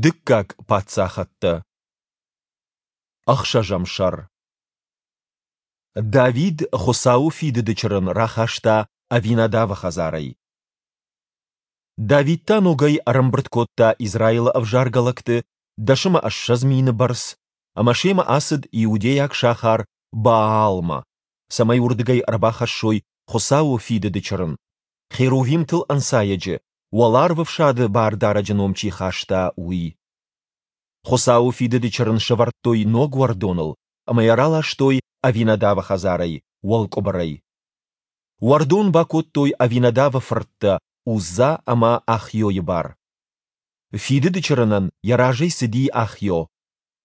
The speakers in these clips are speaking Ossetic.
Дыккаг паддзахӕдтӕ. Ӕхсӕзӕм сӕр. Давид Хуыцауы фидыды чырын рахаста Авинадавы хӕдзарӕй. Давид та ногӕй ӕрӕмбырд кодта Израилы ӕвзаргӕ лӕгты, 20 000 бӕрц, ӕмӕ семӕ ацыд иудейаг сахар Баалмӕ, цӕмӕй уырдыгӕй ӕрбахӕссой Хуыцауы фидыды чырын, херувимтыл ӕнцайӕджы, Уӕларвӕфсады Бардарӕджы ном чи хаста, уый. Хуыцауы фидыды чырын сӕвӕрдтой ног уӕрдоныл ӕмӕ йӕ раластой Авинадавы хӕдзарӕй, уӕлкъуыбырӕй. Уӕрдон бакодтой Авинадавы фырттӕ Узза ӕмӕ Ахйойы бар. Фидыды чырынӕн йӕ разӕй цыди Ахйо.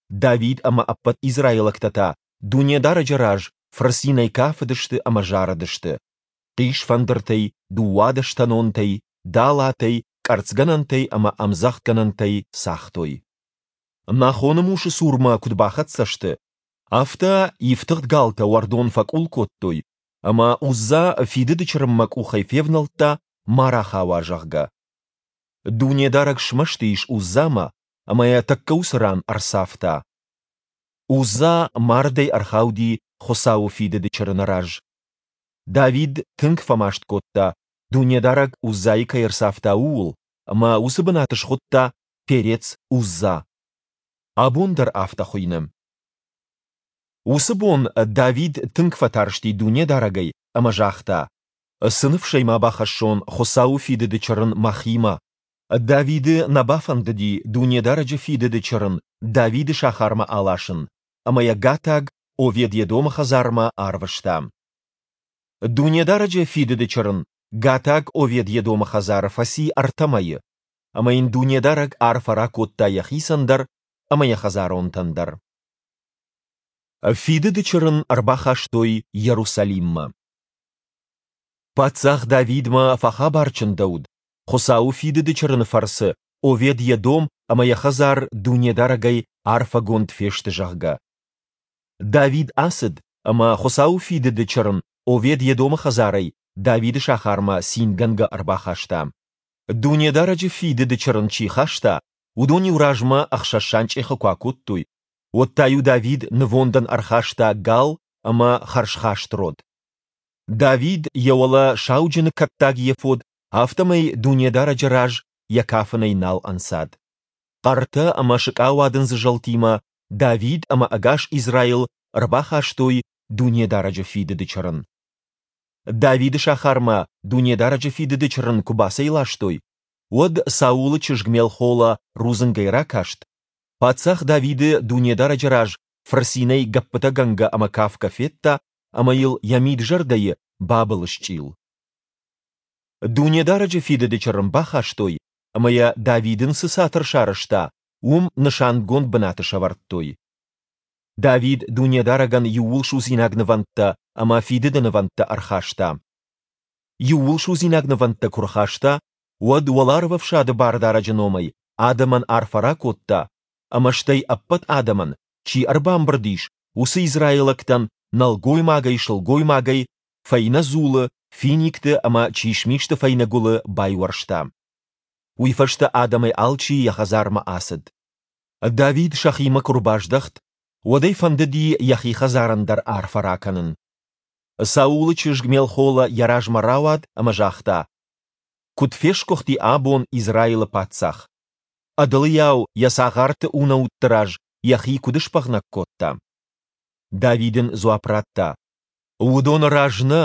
Давид ӕмӕ ӕппӕт израилӕгтӕ та Дунедарӕджы раз фырцинӕй кафыдысты ӕмӕ зарыдысты. Хъисфӕндыртӕй, дыууадӕстӕнонтӕй, далатӕй, къӕрцгӕнӕнтӕй ӕмӕ ӕмдзӕгъдгӕнӕнтӕй цагътой. Нахоны мусы цурмӕ куыд бахӕццӕ сты, афтӕ ифтыгъд галтӕ уӕрдон фӕкъул кодтой, ӕмӕ Узза фидыды чырынмӕ къухӕй февнӕлдта, ма рахауа, зӕгъгӕ. Дунедарӕг смӕсты ис Уззамӕ ӕмӕ йӕ тӕккӕ уыцы ран ӕрцавта. Узза мардӕй ӕрхауди Хуыцауы фидыды чырыны раз. Давид тынг фӕмаст кодта, Дунедарӕг Уззайы кӕй ӕрцавта, ууыл, ӕмӕ уыцы бынат схуыдта Перец-Узза. Абон дӕр афтӕ хуыйны. Уыцы бон Давид тынг фӕтарсти Дунедарӕгӕй ӕмӕ загъта: Цы ныфсӕй ма бахӕссон Хуыцауы фидыды чырын мӕхимӕ? Давиды нӕ бафӕндыди Дунедарӕджы фидыды чырын Давиды сахармӕ аласын, ӕмӕ йӕ гатаг Овед-Едомы хӕдзармӕ арвыста. Дунедарӕджы фидыды чырын гатаг Овед-Едомы хӕдзары фӕци ӕртӕ мӕйы, ӕмӕ йын Дунедарӕг арфӕ ракодта йӕхицӕн дӕр ӕмӕ йӕ хӕдзаронтӕн дӕр. Фидыды чырын ӕрбахастой Иерусалиммӕ. Паддзах Давидмӕ фӕхабар чындӕуыд, Хуыцауы фидыды чырыны фӕрцы Овед-Едом ӕмӕ йӕ хӕдзар Дунедарӕгӕй арфӕгонд фесты, зӕгъгӕ. Давид ацыд ӕмӕ Хуыцауы фидыды чырын Овед-Едомы хӕдзарӕй Давиды сахармӕ цингӕнгӕ ӕрбахаста. Дунедарӕджы фидыды чырын чи хаста, уыдон-иу размӕ ӕхсӕз санчъехы куы акодтой, уӕд та-иу Давид нывондӕн ӕрхаста гал ӕмӕ хӕрзхаст род. Давид йӕ уӕлӕ сауджыны кӕттаг ефод, афтӕмӕй Дунедарӕджы раз йӕ кафынӕй нал ӕнцад. Хъӕртӕ ӕмӕ сыкъауадындзы зӕлтимӕ Давид ӕмӕ ӕгас Израил ӕрбахастой Дунедарӕджы фидыды чырын. Давиды сахармӕ Дунедарӕджы фидыды чырын куы бацӕйластой, уӕд Саулы чызг Мелхола рудзынгӕй ракаст, паддзах Давиды Дунедарӕджы раз фырцинӕй гӕппытӕгӕнгӕ ӕмӕ кафгӕ федта ӕмӕ йыл йӕ мид-зӕрдӕйы бабылысчъил. Дунедарӕджы фидыды чырын бахастой ӕмӕ йӕ Давид ын цы цатыр сарӕзта, уым нысангонд бынаты сӕвӕрдтой. Давид Дунедарӕгӕн иууылсудзинаг нывӕндтӕ ӕмӕ фидыды нывӕндтӕ ӕрхаста. Иууылсудзинаг нывӕндтӕ куы рхаста, уӕд Уӕларвӕфсады Бардарӕджы номӕй адӕмӕн арфӕ ракодта, ӕмӕ стӕй ӕппӕт адӕмӕн, чи ӕрбамбырд ис, уыцы израилӕгтӕн нӕлгоймагӕй-сылгоймагӕй фӕйнӕ дзулы, финикты ӕмӕ чисмисты фӕйнӕ гуылы байуӕрста. Уый фӕстӕ адӕмӕй алчи йӕ хӕдзармӕ ацыд. Давид сӕхимӕ куы рбаздӕхт, уӕд ӕй фӕндыди йӕхи хӕдзарӕн дӕр арфӕ ракӕнын. Саулы чызг Мелхола йӕ размӕ рауад ӕмӕ загъта: Куыд фесгуыхти абон Израилы паддзах! Ӕдылыйау йӕ цагъарты унӕутты раз йӕхи куыд сбӕгънӕг кодта! Давид ын дзуапп радта: Уыдоны раз нӕ,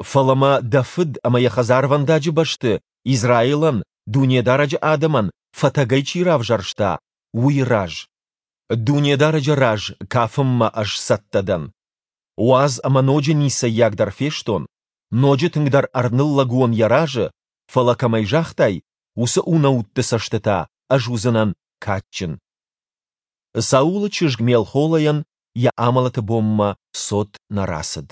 фӕлӕ мӕ дӕ фыд ӕмӕ йӕ хӕдзарвӕндаджы бӕсты Израилӕн, Дунедарӕджы адӕмӕн, фӕтӕгӕй чи равзӕрста, уый раз. Дунедарӕджы раз кафынмӕ ӕз цӕттӕ дӕн. Уадз ӕмӕ ноджы ницӕййагдӕр фестон, ноджы тынгдӕр ӕрныллӕг уон йӕ разы, фӕлӕ кӕмӕй загътай, уыцы унӕутты цӕсты та ӕз уыдзынӕн кадджын. Саулы чызг Мелхолайӕн йӕ амӕлӕты бонмӕ цот нӕ рацыд.